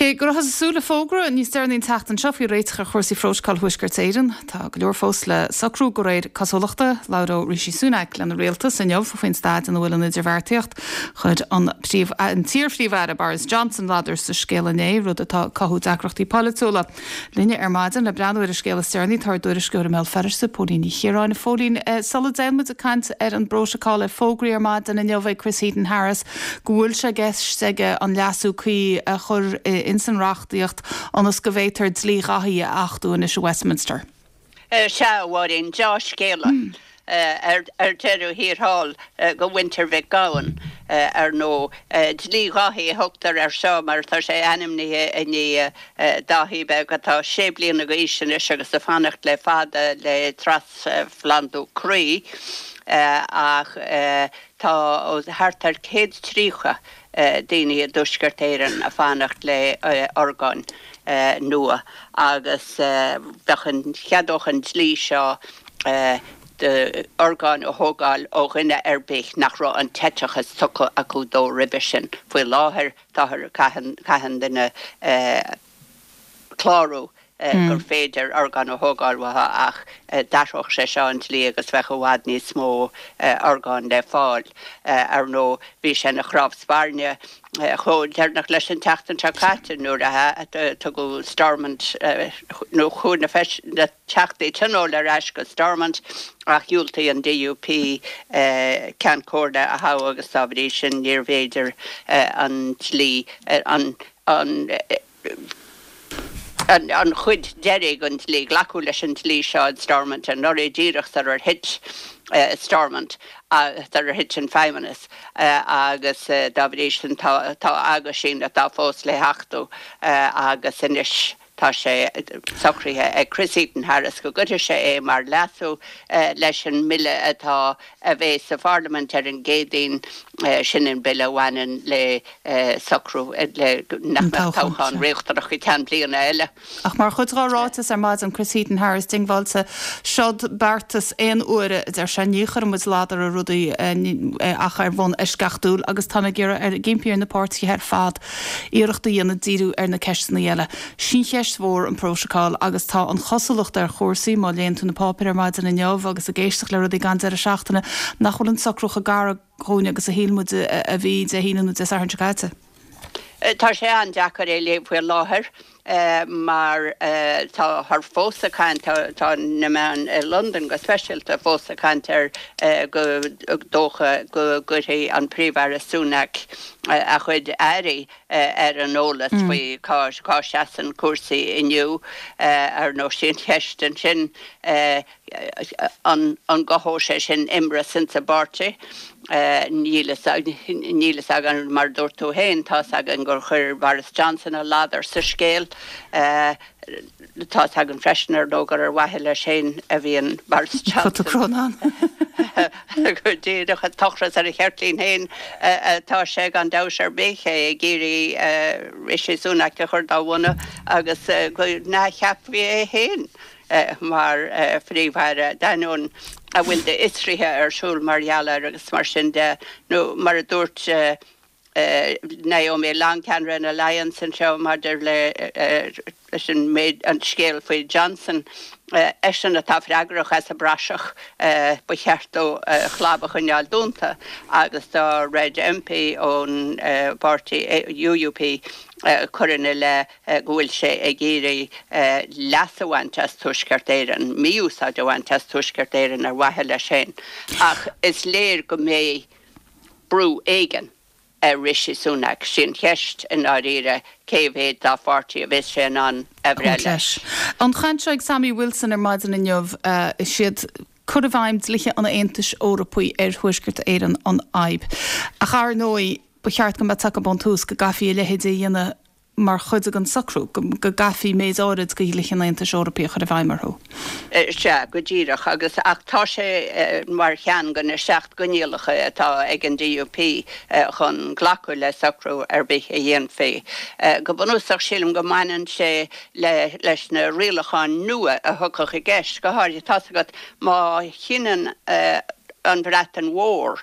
Cé go rabhthas ag súil le fógra níos deireanaí an tseachtain seo faoi réiteach ar chúrsaí Phrótacal Thuaisceart Éireann, tá go leor fós le socrú de réir cosúlachta. Labhróidh Rishi Sunak lena rialtas inniu faoin staid ina bhfuil an idirbheartaíocht. Chuir an t-iar-Phríomh-Aire Boris Johnson ladar sa scéal inné, rud atá ag cothú deacrachtaí polaitiúla. Linne ar maidin le breathnú ar an scéal is deireanaí tá ár dtuairisceoir i mBéal Feirste, Póilín Ní Chiaráin. A Phóilín, sula dtéann muid ag caint ar an bprótacal, é fógraithe ar maidin inniu ag Chris Heaton-Harris go bhfuil sé i gceist aige an leasú cuí a chur ins an reachtaíocht ionas go bhféadtar dlí Dhaithí a achtú anois i Westminster. Sea, a Mháirín, deá-scéala ar deireadh thiar thall do mhuintir Mhic Gabhann, ar ndóigh. Dlí Dháithí a thugtar air seo mar tá sé ainmnithe i ndiaidh Dáithí beag atá sé bliana d'aois anois agus ag fanacht le fada le trasphlandú croí ach tá thart ar 130 daoine i dTuaisceart Éireann ag fanacht le orgáin nua agus bheadh an, cheadódh an dlí seo d'orgáin a thógáil ó dhuine ar bith nach raibh an t-eiteachas tugtha acu dó roimhe sin. Faoi láthair táthar, caitheann, caitheann duine clárú gur féidir orgán a thógáil uathu ach d'athródh sé seo an dlí agus bheadh i bhfad níos mó orgán le fáil. Ar ndóigh, bhí sé ina chnámh spairne chomh deireanach leis an tseachtain seo caite nuair a tugadh Stormont nó chuaigh na Teachtaí Tionóil ar ais go Stormont ach dhiúltaigh an DUP Ceann Comhairle a thoghadh agus dá bhrí sin níorbh fhéidir an dlí, an an chuid deiridh den dlí, glacadh leis an dlí seo in Stormont anuraidh díreach sarar thit Stormont, sarar thit an Feidhmeannas agus dá bhrí sin tá aguisín atá fós le hachtú agus anois. Tá sé socraithe ag Chris Heaton-Harris go gcuirfidh sé é mar leasú leis an mbille atá a bheas sa Pharlaimint ar an gCéadaoin, sin an bille a bhaineann le socrú le nach mbeadh toghchán riachtanach go ceann bliana eile. Ach mar chuid dá ráiteas ar maidin, Chris Heaton-Harris diongbháilte, seod beartas aon uaire, a deir sé, ní chuireann muid ladar ar rudaí ach ar bhonn eisceachtúil agus tá mé ag iarraidh, ag impí ar na páirtithe ar fad iarracht a dhéanamh díriú ar na ceisteanna eile. Sin cheist mhór an prótacal agus tá an chosúlacht ar chúrsaí, má léann tú na páipéir ar maidin inniu agus ag éisteacht le rudaí den deireadh seachtaine, nach bhfuil an socrú chomh gar dhúinn agus a shíl muid a bhí Dé hAoine nó Dé Sathairn seo caite. Tá sé an-deacair é a léamh faoi láthair. mar táthar fós ag caint, tá na meáin i Londain go speisialta fós ag caint ar gur dócha go gcuirfidh an Príomh-Aire Sunak a chuid airí ar an eolas faoi cá seasann cúrsaí inniu. Ar ndóigh, sí an cheist ansin an gcothóidh sé sin imreas insa bpáirtí? Níl a fhios againn, mar a dúirt tú féin, tá's againn gur chuir Boris Johnson a ladar sa scéal. Tá's againn freisin, ar ndóigh, gur ar mhaithe leis féin a bhíonn Boris Johnson. Go díreach, ag tochras ar a cheirtlín féin atá sé gan dabht ar bith, é ag iarraidh Rishi Sunak a chur dá bhun agus go n-athcheapfaí é féin. mar Phríomh-Aire, d'ainneoin a bhfuil d'fhiosruithe ar siúl mar gheall air agus mar sin de, nó mar a dúirt Naomi Long, ceannaire an Alliance anseo maidir leis an méid, an scéal faoi Johnson, eisean atá freagrach as an bpraiseach, ba cheart dó a chlab a choinneáil dúnta agus dá raibh MP ón bpáirtí UUP cur ina leith go bhfuil sé ag iarraidh leas a bhaint as Tuaisceart Éireann, mí-úsáid a bhaint as Tuaisceart Éireann ar mhaithe leis féin. Ach is léir go mbeidh brú éigin ar Rishi Sunak. Sí an cheist i ndáiríre cé mhéad dá pháirtí a bheas sé in ann a bhreith leis. An chaint seo ag Sammy Wilson ar maidin inniu, is iad cur i bhfeidhm dlíthe an Aontais Eorpaigh ar Thuaisceart Éireann an fhadhb. Ach ar ndóigh, ba cheart go mbeadh taca ón tús go gcaithfí a leithéid a dhéanamh mar chuid den socrú, go gcaithfí méid áirid de dhlíthe an Aontais Eorpaigh a chur i bhfeidhm orthu. Sea, go díreach. Agus, ach tá sé mar cheann de na seacht gcoinníollacha atá ag an DUP chun glacadh le socrú ar bith a dhéanfaí. Go bunúsach, sílim go mbaineann sé le, leis na rialacháin nua a thiocfadh i gceist, go háirithe, tá's agat, má chinneann an Bhreatain Mhór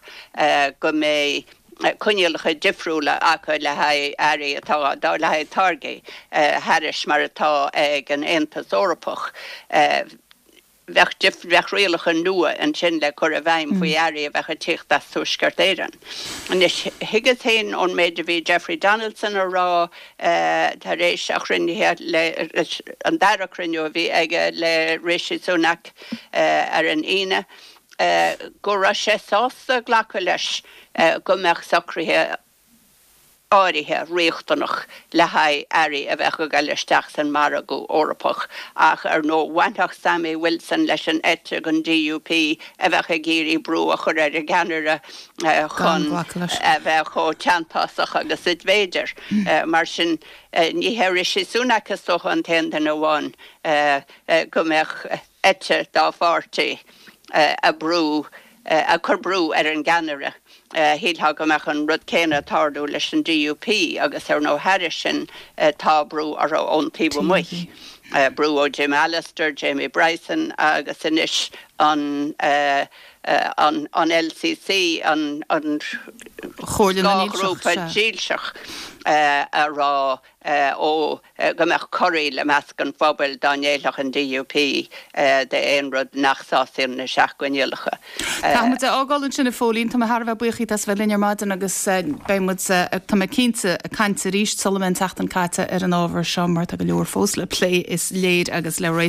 go mbeidh. coinníollacha difriúla acu le haghaidh earraí atá le haghaidh táirgí thairis mar atá ag an Aontas Eorpach. Bheadh bheadh rialacha nua ansin le cur i bhfeidhm faoi earraí a bheadh ag tíocht as Tuaisceart Éireann. Anois, thuigeas féin ón méid a bhí Jeffrey Donaldson a rá tar éis a chruinnithe le, an dara cruinniú a bhí aige le Rishi Sunak ar an Aoine, go raibh sé sásta glacadh leis go mbeadh socruithe áirithe riachtanach le haghaidh earraí a bheadh ag dul isteach san margadh Eorpach ach ar ndóigh bhainfeadh Sammy Wilson leis an eite den DUP a bheadh ag iarraidh brú a chur ar an gceannaire chun a bheith chomh teanntásach agus is féidir. Mar sin ní hé Rishi Sunak is dócha an t-aon duine amháin go mbeadh eite dá pháirtí ag brú, ag cur brú ar an gceannaire. Shílfeá go mbeadh an rud céanna ag tarlú leis an DUP agus ar ndóigh thairis sin tá brú orthu ón taobh amuigh, brú ó Jim Allister, Jamie Bryson agus anois an an LCC, an scáthghrúpa dílseach a rá ó go mbeadh corraíl i measc an phobail dá ngéillfeadh an DUP d'aon rud nach sásaíonn na seach-choinníollacha. Caithfidh muid a fhágáil ansin a Phóilín. Tá mé thar a bheith buíoch díot as a bheith linn ar maidin agus beidh muid, tá mé cinnte, ag caint arís sula mbeidh an tseachtain caite ar an ábhar seo mar tá go leor fós le plé is léir agus le réiteach.